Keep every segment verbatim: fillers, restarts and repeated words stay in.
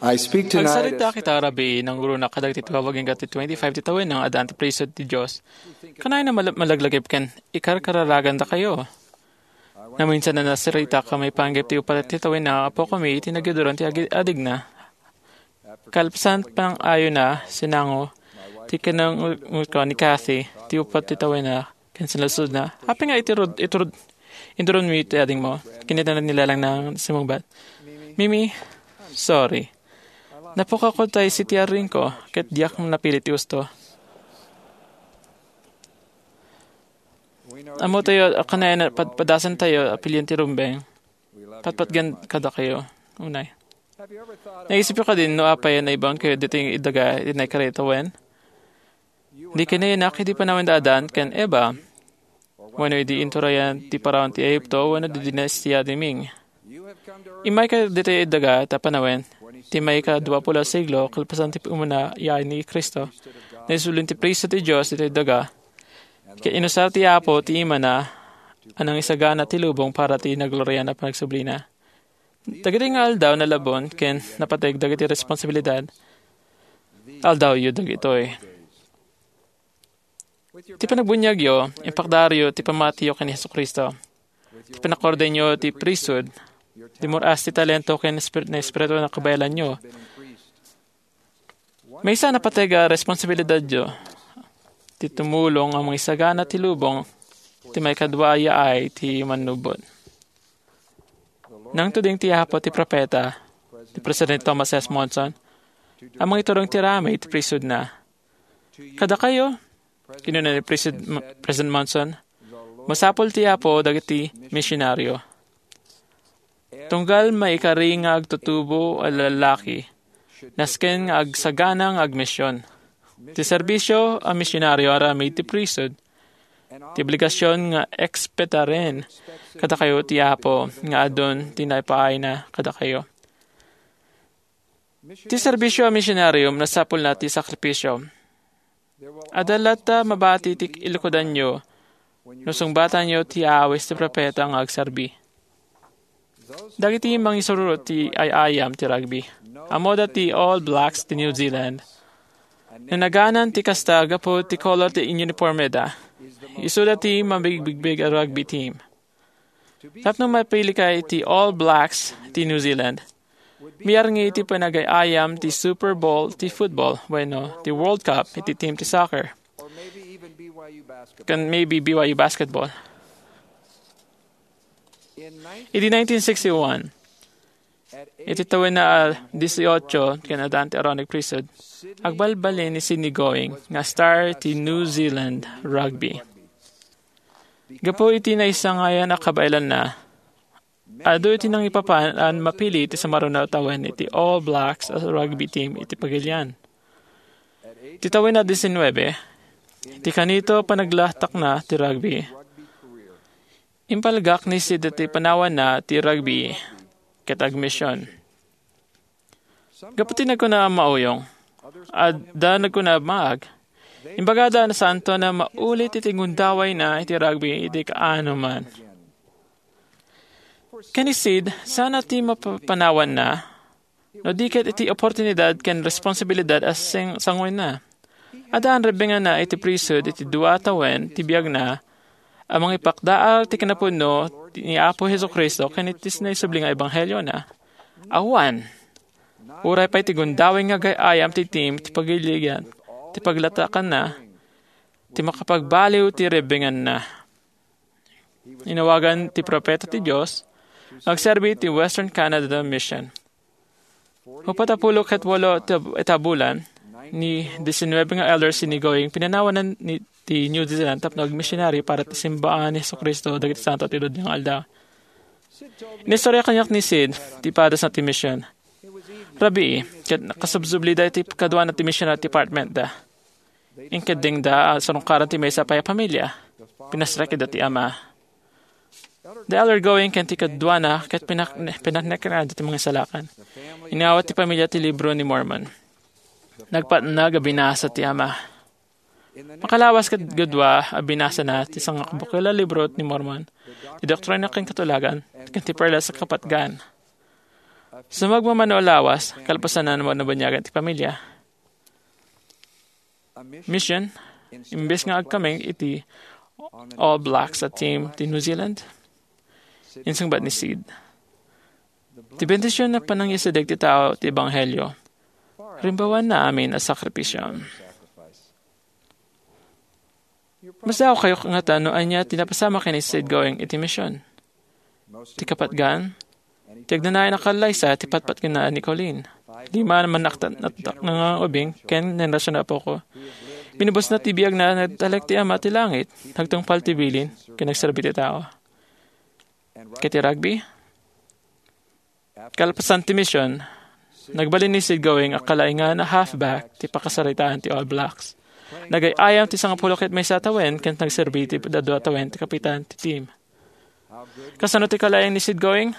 I speak tonight. Agsarita kita rabii, nangruna kadagiti tubabag ken ti twenty-five ti tawen nga addaan ti priesthood ti Dios. Kanayon a mal-, malaglagip ken ikarkararagandakayo. Naminsan a nasaritak a maipanggep ti uppat ti tawen nga apokami iti nagyuduran ti agi-, adigna. Kalpasan pang-ayona, sinango ti kinangutko ni Kathy ti uppat ti tawen nga ken sinalsudna, "Apay nga iturod, iturod, inturonmi ti adingmo?" Kinita na ni Lalang na simmungbat, "Mimi, sorry. Napukako tay sitiaringko ket diak napili ti usto." Ammotayo a kanayon a pad-, padasantayo a pilien ti rumbeng. Patpatgen kadakayo. Unay. Naisipyo kadi no apay a naibangkayo ditoy daga iti naikaratawen? Di kanayon a idi panawen da Adan ken Eva, wenno idi inturayan ti Faraon ti Ehipto, wenno di dinastia ti Ming. Immayka ditoy daga ta panawen, ti maikadua pulo a siglo, kalpasan ti umuna yaay ni Cristo, naisublin ti priesthood ti Dios ditoy daga, ket inusar ti Apo ti Imana a nangisagana ti lubong para ti naglorian a panagsublina. Dagiti nga aldaw nalabon ken napateg dagiti responsibilidad. Aldawyo dagitoy. Ti panagbuniagyo, impakdaaryo ti pammatiyo ken ni Jesu-Cristo. Ti panakordenyo ti priesthood, dimur-as ti talento ken espir-, na espiritu na kabaelanyo. Maysa a napateg a responsibilidadyo ti tumulong a mangisagana ti lubong ti maikadua a yaay ti mannubot. Nangtuding ti Apo ti propeta, ni President Thomas S. Monson, a mangiturong ti aramid ti priesthoodna. Kadakayo, kinuna ni Presid-, President Monson, masapul ti Apo dagiti misionario. Tunggal maikari nga agtutubo a lalaki, nasken nga agsagana nga agmision. Ti serbisio a misionario aramid ti priesthood, ti obligasion nga ekspetaren kadakayo ti Apo nga adun ti naipaayna kadakayo. Ti serbisio a misionario, nasapulna ti sakripisio. Adda latta mabati ti ilkudanyo no sungbatanyo ti aawis ti propeta nga agserbi. Dagiti mangisururot ti ay-ayam ti rugby, ammoda ti All Blacks ti New Zealand. Nanaganan ti kasta gapu ti kolor ti inunipormeda. Isuda ti mabigbigbig a rugby team. Tapno mapili ka iti All Blacks ti New Zealand, mayarngi iti panagay-ayam ti Super Bowl ti football wenno ti World Cup iti team ti soccer, ken maybe B Y U basketball. Iti nineteen sixty-one, iti tawenna a dieciocho ken addaan ti Aaronic Priesthood, agbalbaliw ni Sidney Going nga star ti New Zealand rugby. Gapu iti naisangayan a kabaelanna, adu iti nangipapan a mapili iti sumaruno a tawen iti All Blacks a rugby team iti pagilian. Ti tawen a diecinuebe, ti kanito panaglatakna ti rugby, impalgak ni Sid ti panawanna ti rugby ket agmision. Gapu ti nagkuna a mauyong, adda nagkuna a maag. Imbagada a nasaanto a maulit iti gundawayna iti rugby iti kaanoman. Ken ni Sid, saan a ti mapapanawanna, no di ket iti oportunidad ken responsibilidad a sing-, sanguenna. Addaan rebbenganna iti priesthood iti dua a tawen ti biagna a mangipakdaar ti kinapudno ni Apo Jesu-Cristo ken iti naisubli nga ebangheliona. Awan. Uray pay ti gundaway nga agay-ayam ti team ti pagilian, ti paglatakanna, ti makapagbaliw ti rebbenganna. Inawagan ti propeta ti Dios, agserbi ti Western Canada Mission. Upat a pulo ket walo ti, ti bulan, ni diecinuebe nga elder Sidney Going, pinanawanan ni, ti New Zealand tapno agmisionaryo para ti simbaan ni Jesu-Cristo dagiti santo ti Lodia nga aldaw. Inistorya kaniak ni Sid ti padasna ti mision. Rabii, ket nakasubsublida iti kaduana ti missionary department da. Inkeddengda a sarungkaran ti maysa pay a pamilia. Pinasraikda ti ama. Di Elder Going ken ti kaduana ket pinak-, pinakneknada ti mangisalakan. Inawat ti pamilia ti Libro ni Mormon. Nagpatnag a binasa ti ama. Makalawas ket kadua a binasana ti sangabukil a Libro ni Mormon, ti Doktrina ken Katulagan, ken ti Perlas a Kapatgan. Sumagmamano a lawas, kalpasan na naman nabunyagan ti pamilya. Mission, imbes nga agkameng iti All Blacks a team ti New Zealand, insungbat ni Sid. Ti bendision a panangyasideg ti tao ti ebanghelio, rimbawan na amin a sakripisio. Masdaaw kayo ngata no ania ti napasamak ken ni Sid Going iti mission. Ti kapatgan, ti agnanayon a kallaysa ti patpatgenna ni Colleen. Lima a mannaktak-naktak nga ubing ken nenrasyon a apoko. Binubusna ti biagna, nagtalek ti Ama ti langit, nagtungpal ti bilin, ken nagserbi ti tao. Ket ti rugby? Kalpasan ti mission, nagbalin ni Sid Going a kalaingan a halfback ti pakasaritaan ti All Blacks. Nagay-ayam ti sangapulo ket maysa a tawen ken nagserbi ti daddua a tawen ti kapitan ti team. Kasano ti kalaing ni Sid Going?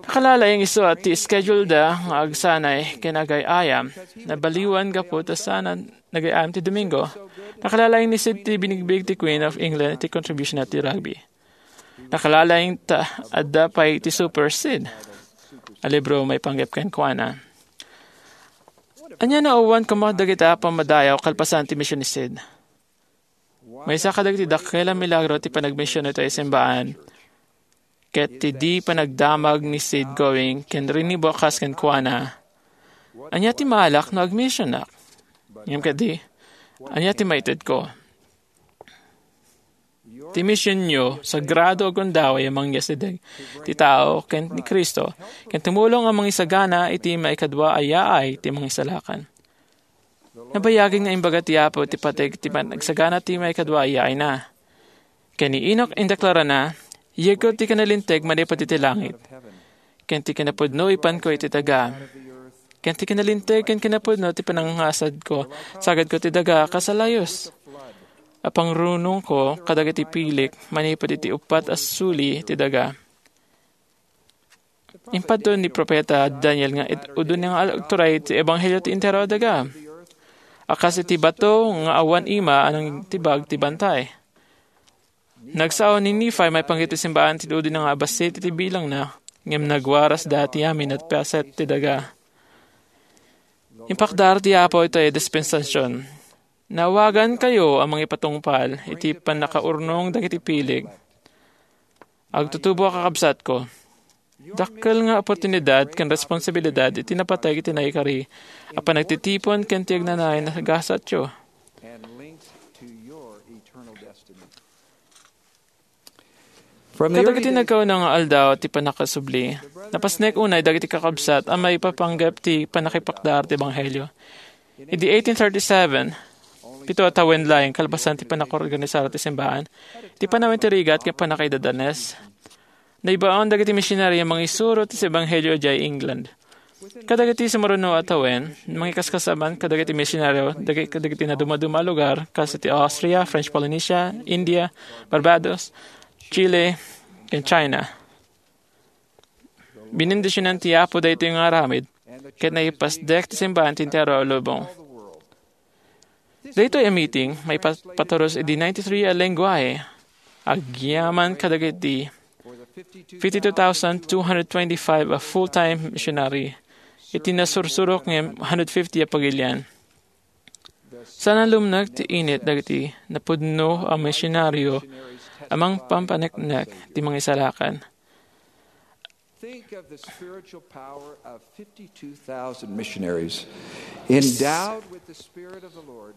Nakalalaing isu a ti schedule da nga agsanay ken agay-ayam. Nabaliwan gapu ta saan a nagay-ayam ti Domingo. Nakalalaing ni Sid ti binigbig ti Queen of England iti contribution na ti rugby. Nakalalaing ta adda pay ti Super Sid a libro maipanggep kenkuana. Ania no awan koma dagita a pammadayaw kalpasan ti mission ni Sid? Maysa kadagiti dakkel a milagro ti panagmision iti simbaan ket ti di panagdamag ni Sid Going ken rinibo a kas kenkuana. Ania ti maalak no agmisionak? Ngem kadi, ania ti maitedko? Ti misionyo, sagrado a gundaway a mangyasideg ti tao ken ni Cristo, ken tumulong a mangisagana iti maikadua a yaay ti mangisalakan. Nabayagen nga imbaga ti Apo ti pateg ti panagsagana ti maikadua a yaayna. Ken ni Enoch indeklarana, "Yegko ti kinalinteg manipud iti langit, ken ti kinapudno ipanko iti daga, ken ti kinalinteg ken kinapudno ti panangngasadko, sagadko ti daga kas a layus. Apangrunongko kadagiti pilik manipud iti uppat a suli ti daga." Impadto ni profeta Daniel nga it-, udon nga agturay ti ebanghelio ti entero a daga. A kas iti bato nga awan ima a nangtibag ti bantay. Nagsao ni Nephi maipanggep ti simbaan ti udon nga abassit iti bilangna, ngem nagwarasda ti amin a paset ti daga. Impakdar ti Apo iti dispensasion. Naawagankayo a mangipatungpal iti pannakaurnong dagiti pilik. Agtutubo a kakabsatko. Dakkel nga oportunidad ken responsibilidad iti napateg iti naikari a panagtitipon ken ti agnanayon a gasatyo. Kadagiti nagkauna nga aldaw ti pannakasubli, napasnek unay dagiti kakabsat a maipapanggep ti pannakipakdar ti ebanghelio. Idi eighteen thirty-seven, pito a tawen laeng kalpasan ti pannakaorganisar ti simbaan, ti panawen ti rigat ken pannakaidadanes, naibaon dagiti misionaryo a mangisuro ti ebanghelio idiay England. Kadagiti sumuruno a tawen, mangikaskasaban kadagiti misionaryo dagiti, kadagiti nadumaduma a lugar, kas iti Austria, French Polynesia, India, Barbados, Chile, ken China. Binindisionan ti Apo daytoy nga aramid, ket naipasdek ti simbaan ti entero a lubong. Daytoy a meeting, maipaturus idi ninety-three a lenguahe, agyaman kadagiti fifty-two thousand two hundred twenty-five a full-time missionary iti nasursurok nga hundred fifty a pagilian. Saan a lumnek ti init dagiti napudno a misionaryo a mangpapaneknek ti mangisalakan. Think of the spiritual power of fifty-two thousand missionaries endowed with the Spirit of the Lord,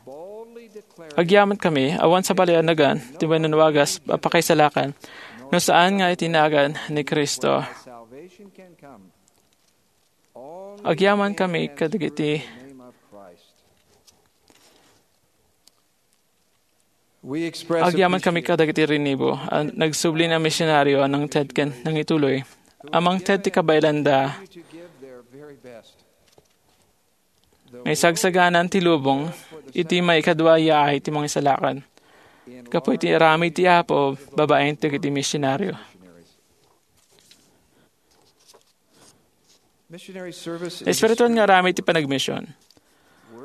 boldly declaring Agyaman kami, awan sabali a nagan, ti wenno wagas a pakaisalakan, no saan nga iti nagan ni Cristo. Salvation can come. Agyaman kami kadagiti Agyaman kami kadagiti rinibo a nagsubli a misionaryo a nangted ken nangituloy a mangted ti kabaelanda. Maisagsaganan ti lubong iti maikadua a yaay ti mangisalakan. Gapu iti aramid ti Apo babaen dagiti misionaryo. Espirituan nga aramid ti panagmision.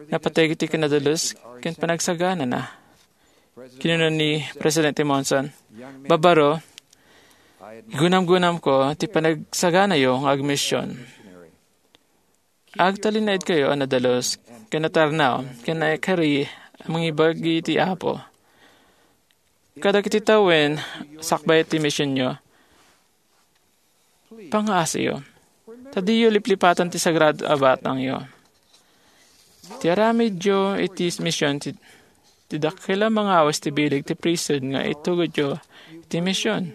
Napateg iti kinadalus ken panagsaganana. Kinuna ni Presidente Monson, "Babaro, Gunamgunamko ti panagsaganayo nga agmision. Agtalinaedkayo a nadalus ken natarnaw ken naikari a mangibagi ti Apo kadagiti tawen sakbay ti misionyo. Pangngaasiyo, ta diyo liplipatan ti sagrado a batangyo. Ti aramidyo iti mision ti, ti dakkel a mangawis ti bileg ti priesthood nga itugodyo iti mision.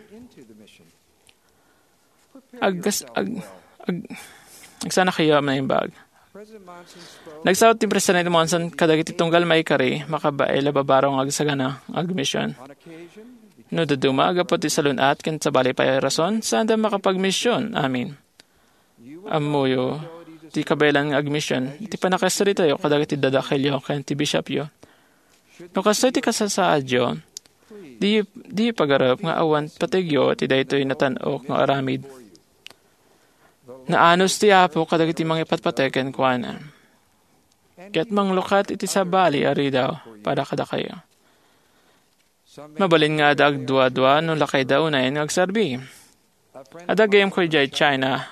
Aggas-, ag-, ag-, agsanakayo a naimbag. Nagsaut ti Presidente Monson kadagiti tunggal maikari, makabael a babaro nga agsagana nga agmision. No dadduma, gapu ti salun-at ken sabali pay a rason, saanda makapagmision. Amin. Ammoyo ti kabaelan nga agmision iti pannakaisaritayo kadagiti dadakkelyo ken ti bishopyo. No kastoy ti kasasaadyo, di, di pagarup nga awan pategyo ti daytoy natan-ok nga aramid. Naanus ti Apo kadagiti mangipatpateg kenkuana, ket manglukat iti sabali a ridaw para kadakayo. Mabalin nga adda agduadua no lakayda unayen nga agserbi. Adda gayyemko idiay China.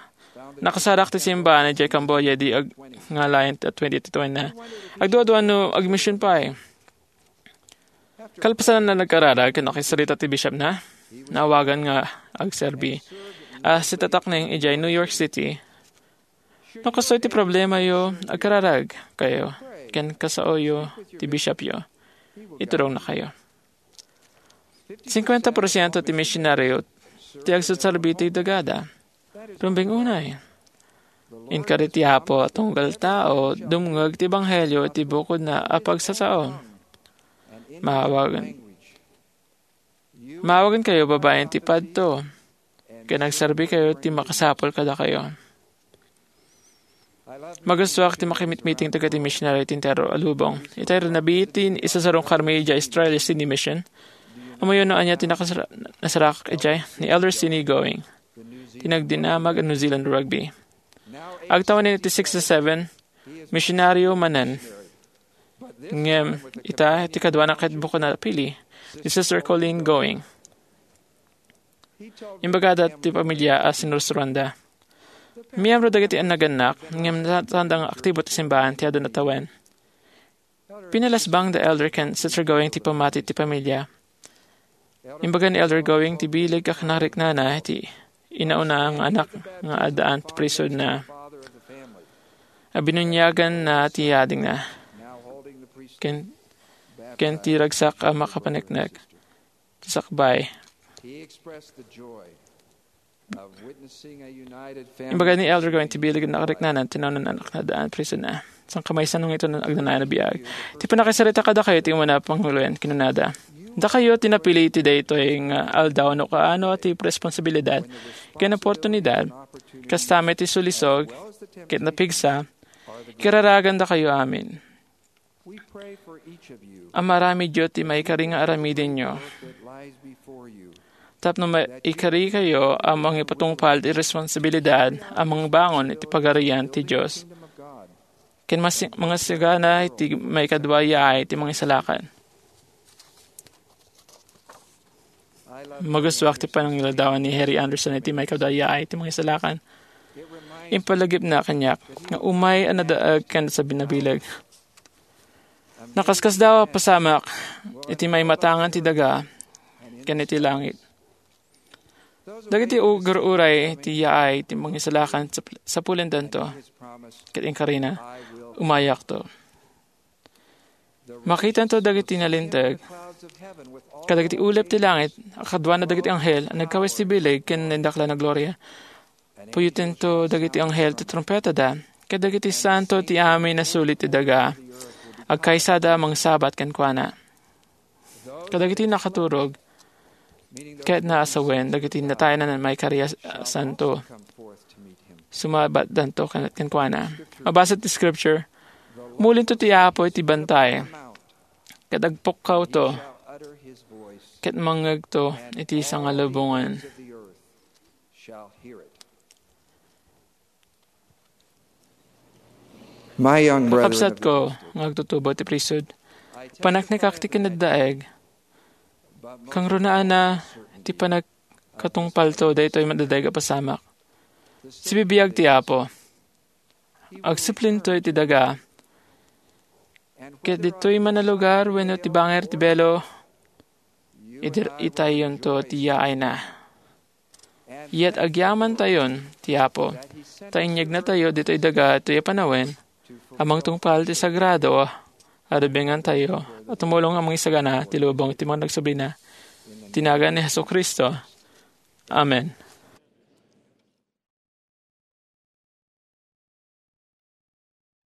Nakasarak ti simbahan idiay Cambodia idi ag-, ngalayen ti twenty twenty na. Agduadua no agmision pay. Kalpasan a nagkararag ken nakisarita ti bishopna, naawagan nga agserbi a sitatakneng idiay New York City. No kastoy ti problemayo, agkararag kayo ken kasaoyo ti bishopyo. Iturongna kayo. Singkuenta porsiento ti misionario ti agserserbi ti dagada. Rumbeng unay. Inkari ti Apo a tunggal tao dumngeg ti ebanghelio iti bukodna a pagsasao. Maawagan, maawagan kayo babaen ti padto, ken agserbi kayo ti makasapul kadakayo. Magustuak ti makimitmiting dagiti misionary ti entero a lubong. Itay renabi ti isasarong karmi idiay Australia Sydney Mission. Amoyo no ania ti nakasara-, nasarak idiay ni Elder Sidney Going, ti nagdinamag a New Zealand rugby. Agtawen iti sixty-seven, misionaryo manen. Ngem ita ti kaduana ket bukod a napili, ni Sister Colleen Going. Imbagada ti pamilia a sinursuroanda. Miyembro dagiti nagannak, ngem nasaanda nga aktibo ti simbahan ti adu a tawen. Pinalasbang da Elder ken Sister Going ti pammati ti pamilia. Imbaga ni Elder Going ti bileg a kinariknana ti inauna nga anak nga addaan ti priesthoodna. A binuniagan na ti yadingna. Ken, ken ti ragsak a makapaneknek. Sakbay. He expressed the joy of witnessing a united family. Imbagad ni Elder Going ti bileg a nakariknanan ti naunang anak nga addaan ti priesthoodna. Sangkamaysano nga ito nga agnanayon a biag. Ti pannakaisarita kadakayo ti umuna a panguloen, kinunada. Dakayo ti napili iti daytoy nga aldaw no kaano ti responsibilidad ken oportunidad, kasta met ti sulisog ket napigsa, kararagan dakayo amin. Amaaramidyo ti maikari nga aramidenyo. Tapno maikari kayo a mangipatungpal ti responsibilidad a mangbangon iti Pagarian ti Dios ken masi-, mangasagana iti maikadua yaay ti Mangisalakan. Magustuak ti panangiladawan ni Harry Anderson iti maikadua yaay ti Mangisalakan. Impalagipna kaniak nga umay a nadaag ken sabinabileg. Nakaskasdaaw a pasamak iti maimatangan ti daga ken iti langit. Dagiti ugur-uray ti yaay ti Mangisalakan sap-, sapulendanto, ket inkarina, umayakto. Makitanto dagiti nalinteg kadagiti ulep ti langit a kaduana dagiti anghel a nagkawes ti bileg ken nindaklan a gloria. Puyotento dagiti anghel ti trumpetada, ket dagiti santo ti amin a suli ti daga, agkaysada a mangsabat kenkuana. Kadagiti nakaturog, ket naasawen dagiti natayan a maikari a santo, sumabatdanto ken-, kenkuana. Mabasa ti scripture, "Mulinto ti Apo iti bantay, ket agpukkawto, ket mangngegto iti sangalubongan." My young brethren, kakabsatko nga agtutubo ti priesthood, paneknekak ti kinaddaeg, kangrunaanna ti panag-, katungpalto daytoy madaydiay a pasamak. Sibibiag ti Apo. Agsiplinto iti daga. Ket ditoy man a lugar wenno ti bangir ti belo, idir-itayyonto ti yaayna. Yet agyamantayon ti Apo, ta inyegnatayo ditoy daga toy a panawen a mangtungpal ti sagrado a rubengantayo a tumulong a mangisagana ti lubong ti mga nagsubina. Ti nagan ni Jesu-Cristo. Amen.